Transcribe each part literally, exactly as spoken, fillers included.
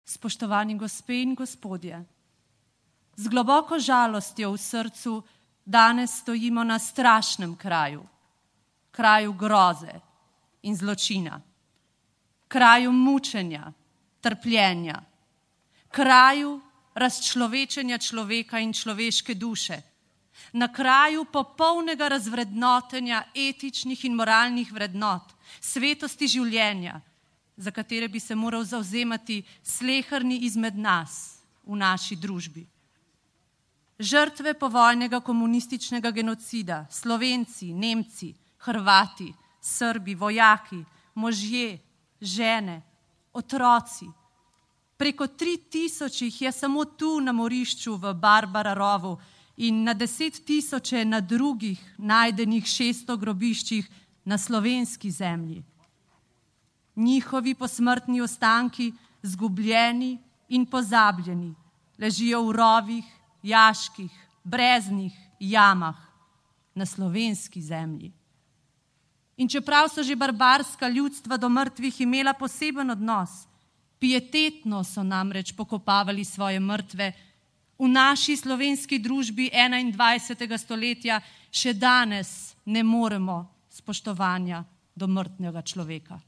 Spoštovani gospe in gospodje, z globoko žalostjo v srcu danes stojimo na strašnem kraju, kraju groze in zločina, kraju mučenja, trpljenja, kraju razčlovečenja človeka in človeške duše, na kraju popolnega razvrednotenja etičnih in moralnih vrednot, svetosti življenja, za katere bi se moral zavzemati sleherni izmed nas v naši družbi. Žrtve povojnega komunističnega genocida, Slovenci, Nemci, Hrvati, Srbi, vojaki, možje, žene, otroci. Preko tri tisoč jih je samo tu na morišču v Barbara rovu in na deset tisoče na drugih najdenih šeststo grobiščih na slovenski zemlji. Njihovi posmrtni ostanki, zgubljeni in pozabljeni, ležijo v rovih, jaških, breznih jamah na slovenski zemlji. In čeprav so že barbarska ljudstva do mrtvih imela poseben odnos, pietetno so namreč pokopavali svoje mrtve, v naši slovenski družbi enaindvajsetega stoletja še danes ne moremo spoštovanja do mrtvega človeka.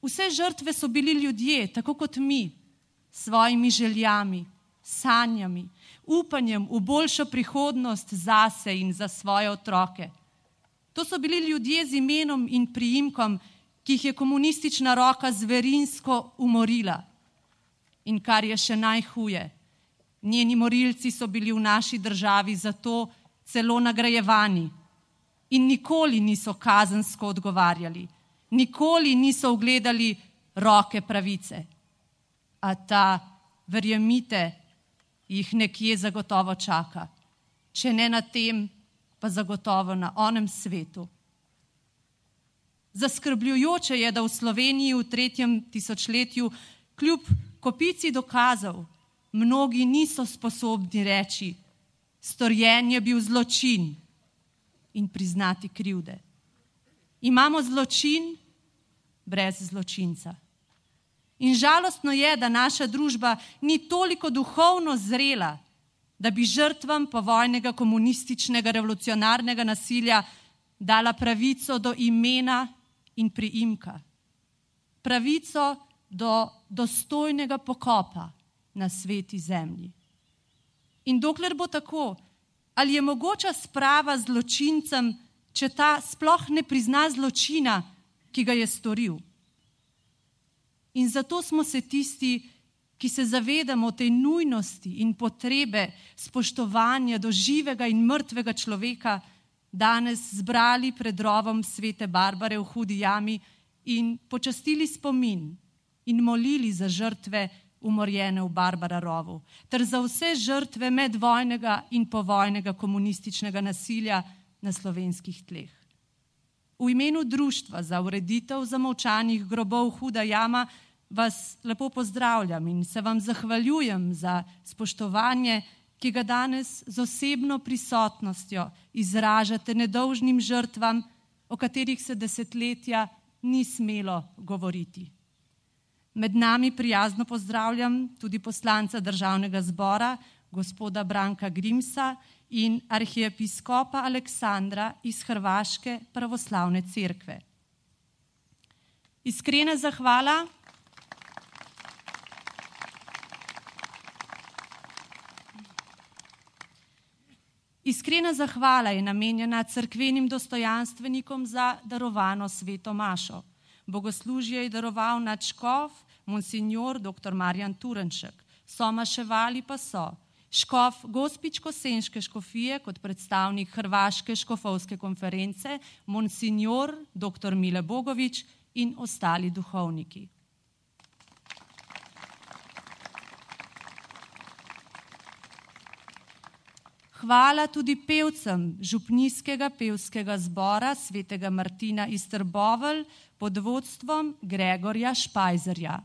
Vse žrtve so bili ljudje, tako kot mi, s svojimi željami, sanjami, upanjem v boljšo prihodnost zase in za svoje otroke. To so bili ljudje z imenom in priimkom, ki jih je komunistična roka zverinsko umorila. In kar je še najhuje, njeni morilci so bili v naši državi zato celo nagrajevani in nikoli niso kazensko odgovarjali. Nikoli niso ugledali roke pravice, a ta, verjemite, jih nekje zagotovo čaka, če ne na tem, pa zagotovo na onem svetu. Zaskrbljujoče je, da v Sloveniji v tretjem tisočletju kljub kopici dokazov mnogi niso sposobni reči, storjen je bil zločin in priznati krivde. Imamo zločin brez zločinca. In žalostno je, da naša družba ni toliko duhovno zrela, da bi žrtvam povojnega komunističnega revolucionarnega nasilja dala pravico do imena in priimka. Pravico do dostojnega pokopa na sveti zemlji. In dokler bo tako, ali je mogoča sprava zločincem, če ta sploh ne prizna zločina, ki ga je storil. In zato smo se tisti, ki se zavedamo tej nujnosti in potrebe spoštovanja do živega in mrtvega človeka, danes zbrali pred rovom svete Barbare v Hudi jami in počastili spomin in molili za žrtve umorjene v Barbara rovu, ter za vse žrtve medvojnega in povojnega komunističnega nasilja na slovenskih tleh. V imenu Društva za ureditev zamolčanih grobov Huda jama vas lepo pozdravljam in se vam zahvaljujem za spoštovanje, ki ga danes z osebno prisotnostjo izražate nedolžnim žrtvam, o katerih se desetletja ni smelo govoriti. Med nami prijazno pozdravljam tudi poslanca Državnega zbora, gospoda Branka Grimsa in arhiepiskopa Aleksandra iz Hrvaške pravoslavne cerkve. Iskrena zahvala Iskrena zahvala je namenjena cerkvenim dostojanstvenikom za darovano sveto mašo. Bogoslužje je daroval nadškof, monsinjor doktor Marjan Turnšek. Somaševali pa so škof Gospič-Kosenške škofije kot predstavnik Hrvaške škofovske konference, monsinjor doktor Mile Bogovič in ostali duhovniki. Hvala tudi pevcem župnijskega pevskega zbora svetega Martina iz Trbovelj pod vodstvom Gregorja Špajzerja.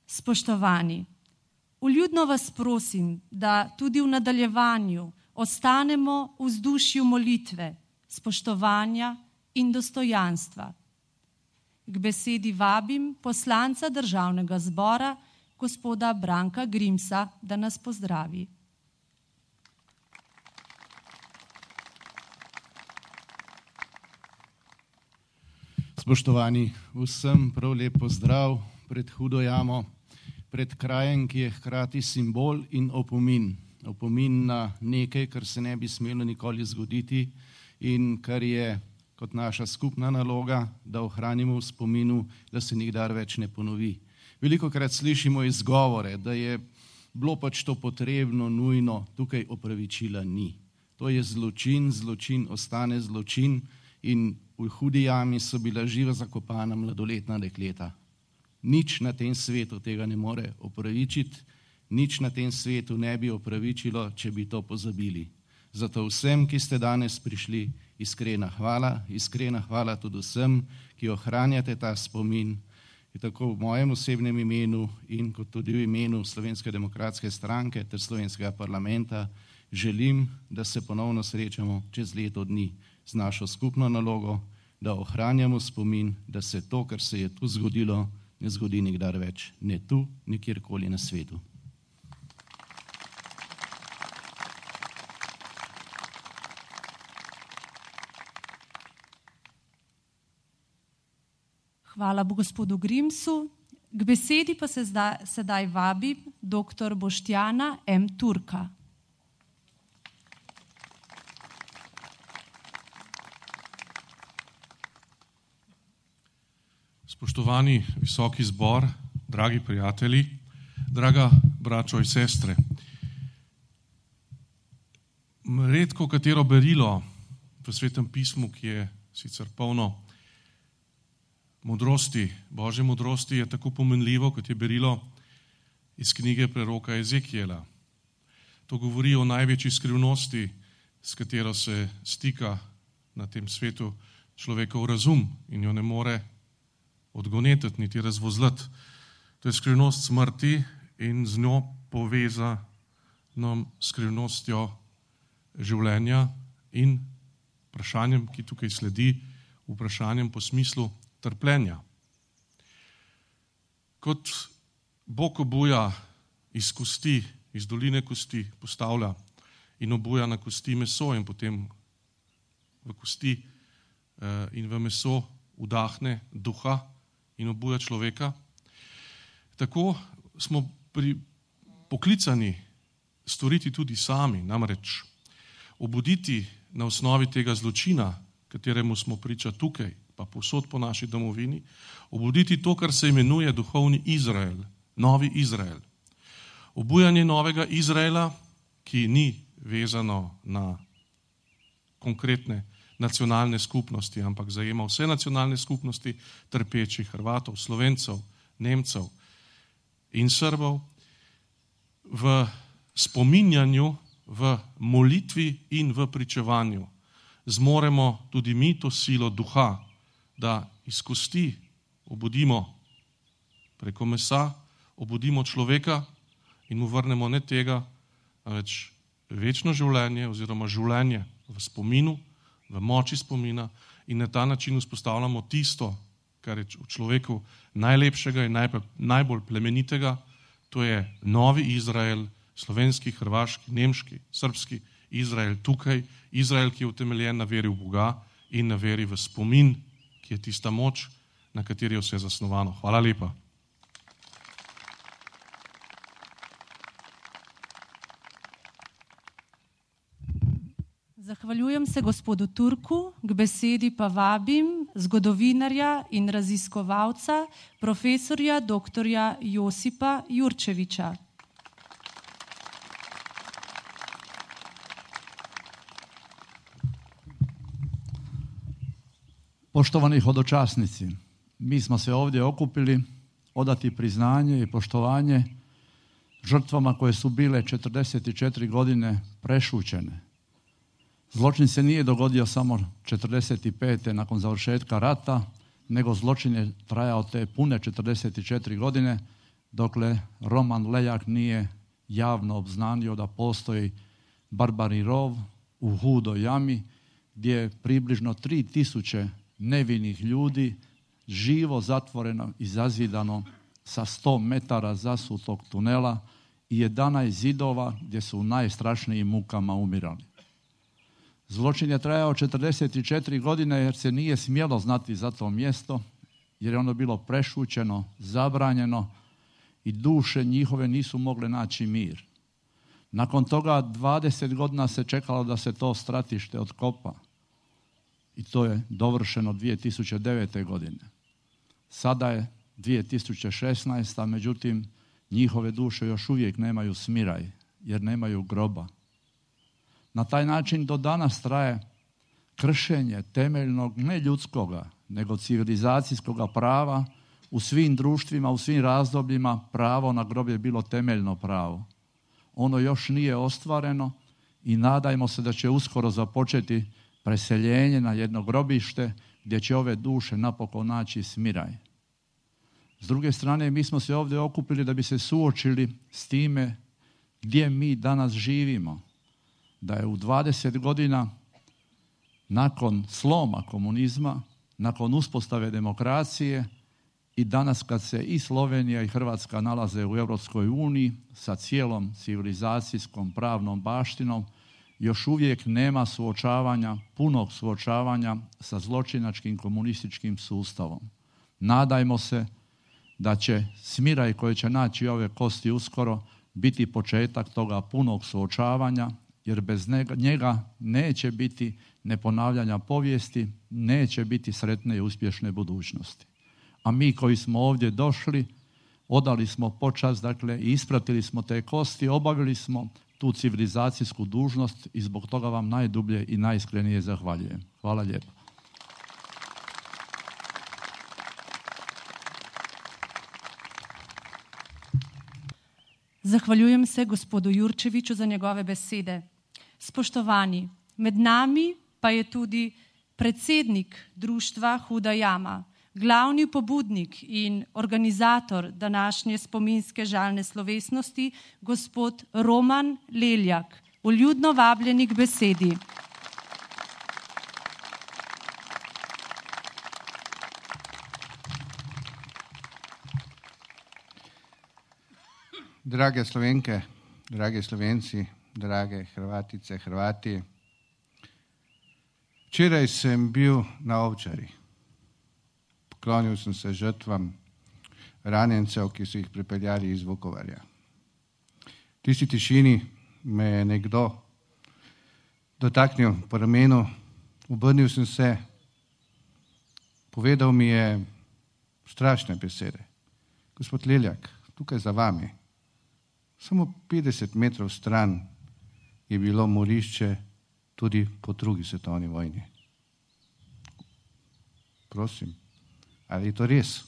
Spoštovani, vljudno vas prosim, da tudi v nadaljevanju ostanemo v vzdušju molitve, spoštovanja in dostojanstva. K besedi vabim poslanca Državnega zbora, gospoda Branka Grimsa, da nas pozdravi. Spoštovani, vsem prav lep pozdrav pred Hudo jamo, pred krajem, ki je hkrati simbol in opomin. Opomin na nekaj, kar se ne bi smelo nikoli zgoditi in kar je kot naša skupna naloga, da ohranimo v spominu, da se nikdar več ne ponovi. Velikokrat slišimo izgovore, da je bilo pač to potrebno, nujno, tukaj opravičila ni. To je zločin, zločin ostane zločin in v Hudi jami so bila živa zakopana mladoletna dekleta. Nič na tem svetu tega ne more opravičiti, nič na tem svetu ne bi opravičilo, če bi to pozabili. Zato vsem, ki ste danes prišli, iskrena hvala, iskrena hvala tudi vsem, ki ohranjate ta spomin, tako v mojem osebnem imenu in kot tudi v imenu Slovenske demokratske stranke ter Slovenskega parlamenta želim, da se ponovno srečamo čez leto dni z našo skupno nalogo, da ohranjamo spomin, da se to, kar se je tu zgodilo, ne zgodi nikdar več, ne tu, nikjerkoli na svetu. Hvala bo gospodu Grimsu. K besedi pa se zdaj, sedaj vabi doktor Boštjana M. Turka. Spoštovani visoki zbor, dragi prijatelji, draga braćo in sestre. Redko katero berilo v Svetem pismu, ki je sicer polno modrosti, Božje modrosti, je tako pomenljivo, kot je berilo iz knjige preroka Ezekijela. To govori o največji skrivnosti, s katero se stika na tem svetu človekov razum in jo ne more odgonetiti, niti razvozlati. To je skrivnost smrti in z njo povezano skrivnostjo življenja in vprašanjem, ki tukaj sledi, vprašanjem po smislu trpljenja. Kot Bog obuja iz kosti, iz doline kosti postavlja in obuja na kosti meso in potem v kosti in v meso vdahne duha in obuja človeka, tako smo pri, poklicani storiti tudi sami, namreč obuditi na osnovi tega zločina, kateremu smo priča tukaj, pa povsod po naši domovini, obuditi to, kar se imenuje duhovni Izrael, novi Izrael. Obujanje novega Izraela, ki ni vezano na konkretne nacionalne skupnosti, ampak zajema vse nacionalne skupnosti trpečih Hrvatov, Slovencev, Nemcev in Srbov, v spominjanju, v molitvi in v pričevanju zmoremo tudi mi to silo duha, da iz kosti obudimo preko mesa, obudimo človeka in mu vrnemo ne tega, več večno življenje oziroma življenje v spominu, v moči spomina in na ta način vzpostavljamo tisto, kar je v človeku najlepšega in najbolj plemenitega, to je novi Izrael, slovenski, hrvaški, nemški, srbski Izrael tukaj, Izrael, ki je utemeljen na veri v Boga in na veri v spomin, ki je tista moč, na kateri je vse zasnovano. Hvala lepa. Zahvaljujem se gospodu Turku, k besedi pa vabim zgodovinarja in raziskovalca, profesorja doktorja Josipa Jurčeviča. Poštovani hodočasnici, mi smo se ovdje okupili odati priznanje i poštovanje žrtvama koje su bile četrdeset četiri godine prešućene. Zločin se nije dogodio samo četrdeset pete nakon završetka rata, nego zločin je trajao te pune četrdeset četiri godine, dokle Roman Leljak nije javno obznanio da postoji Barbari rov u Hudoj jami, gdje je približno tri tisuće nevinih ljudi, živo zatvoreno i zazidano sa sto metara zasutog tunela i jedanaest zidova gdje su u najstrašnijim mukama umirali. Zločin je trajao četrdeset četiri godine jer se nije smjelo znati za to mjesto, jer je ono bilo prešućeno, zabranjeno i duše njihove nisu mogle naći mir. Nakon toga dvadeset godina se čekalo da se to stratište otkopa i to je dovršeno dvije tisuće devete. godine. Sada je dvije tisuće šesnaesta. međutim njihove duše još uvijek nemaju smiraj jer nemaju groba. Na taj način do danas traje kršenje temeljnog ne ljudskoga nego civilizacijskoga prava u svim društvima, u svim razdobljima. Pravo na grob je bilo temeljno pravo. Ono još nije ostvareno i nadajmo se da će uskoro započeti preseljenje na jedno grobište gdje će ove duše napokon naći smiraj. S druge strane, mi smo se ovdje okupili da bi se suočili s time gdje mi danas živimo. Da je u dvadeset godina nakon sloma komunizma, nakon uspostave demokracije i danas kad se i Slovenija i Hrvatska nalaze u Europskoj uniji sa cijelom civilizacijskom pravnom baštinom, još uvijek nema suočavanja, punog suočavanja sa zločinačkim komunističkim sustavom. Nadajmo se da će smiraj koji će naći ove kosti uskoro biti početak toga punog suočavanja, jer bez njega neće biti neponavljanja povijesti, neće biti sretne i uspješne budućnosti. A mi koji smo ovdje došli, odali smo počast, dakle, i ispratili smo te kosti, obavili smo tu civilizacijsku dužnost i zbog toga vam najdublje i najiskrenije zahvaljujem. Hvala lijepo. Zahvaljujem se gospodu Jurčeviću za njegove besede. Spoštovani, med nami pa je tudi predsednik društva Huda jama, glavni pobudnik in organizator današnje spominske žalne slovesnosti, gospod Roman Leljak, vljudno vabljeni k besedi. Drage Slovenke, dragi Slovenci, drage Hrvatice, Hrvati, včeraj sem bil na Ovčari. Poklonil sem se žrtvam ranjencev, ki so jih pripeljali iz Vukovarja. V tisti tišini me je nekdo dotaknil po ramenu, obrnil sem se, povedal mi je strašne besede. Gospod Leljak, tukaj za vami, samo petdeset metrov stran je bilo morišče tudi po drugi svetovni vojni. Prosim, ali je to res?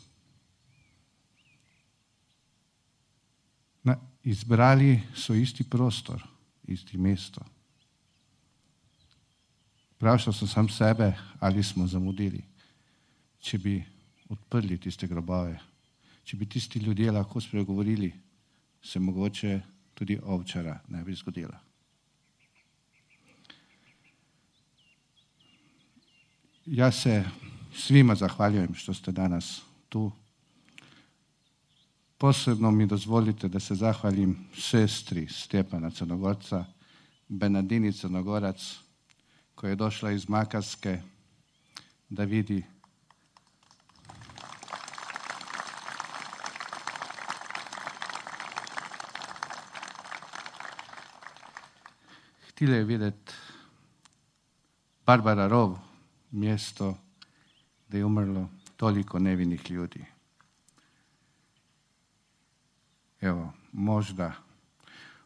Na, izbrali so isti prostor, isti mesto. Vprašal sem sam sebe, ali smo zamudili, če bi odprli tiste grobove, če bi tisti ljudje lahko spregovorili, se mogoče tudi Ovčara ne bi zgodila. Ja se svima zahvaljujem što ste danas tu. Posebno mi dozvolite da se zahvalim sestri Stjepana Crnogorca, Benadini Crnogorac, koja je došla iz Makarske da vidi htjela je vidjeti Barbara Rov, mjesto gdje je umrlo toliko nevinih ljudi. Evo, možda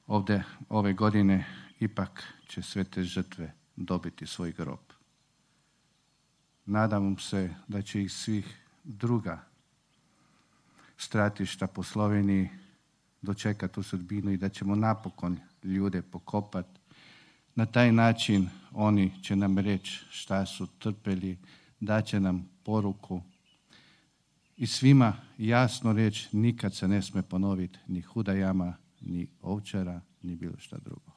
ovdje ove godine ipak će sve te žrtve dobiti svoj grob. Nadam se da će ih svih druga stratišta po Sloveniji dočekati u sudbinu i da ćemo napokon ljude pokopati. Na taj način oni će nam reći šta su trpeli, daće nam poruku i svima jasno reći nikad se ne sme ponoviti ni Huda jama, ni Ovčara, ni bilo šta drugo.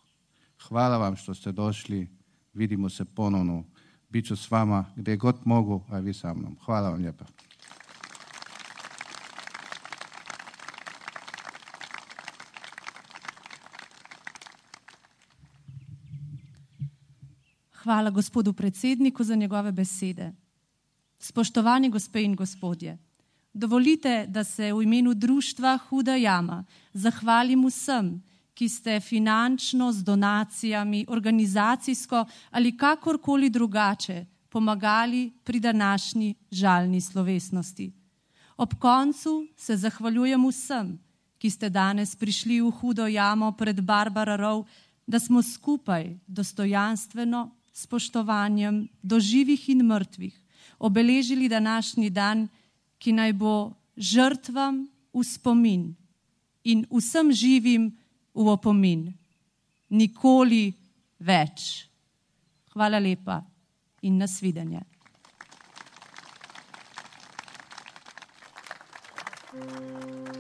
Hvala vam što ste došli, vidimo se ponovno bit ću s vama gdje god mogu, a vi sa mnom. Hvala vam lijepa. Hvala gospodu predsedniku za njegove besede. Spoštovani gospe in gospodje, dovolite, da se v imenu društva Huda jama zahvalim vsem, ki ste finančno, z donacijami, organizacijsko ali kakorkoli drugače pomagali pri današnji žalni slovesnosti. Ob koncu se zahvaljujem vsem, ki ste danes prišli v Hudo jamo pred Barbara rov, da smo skupaj dostojanstveno, spoštovanjem do živih in mrtvih obeležili današnji dan, ki naj bo žrtvam v spomin in vsem živim v opomin. Nikoli več. Hvala lepa in nasvidenje. Thank you.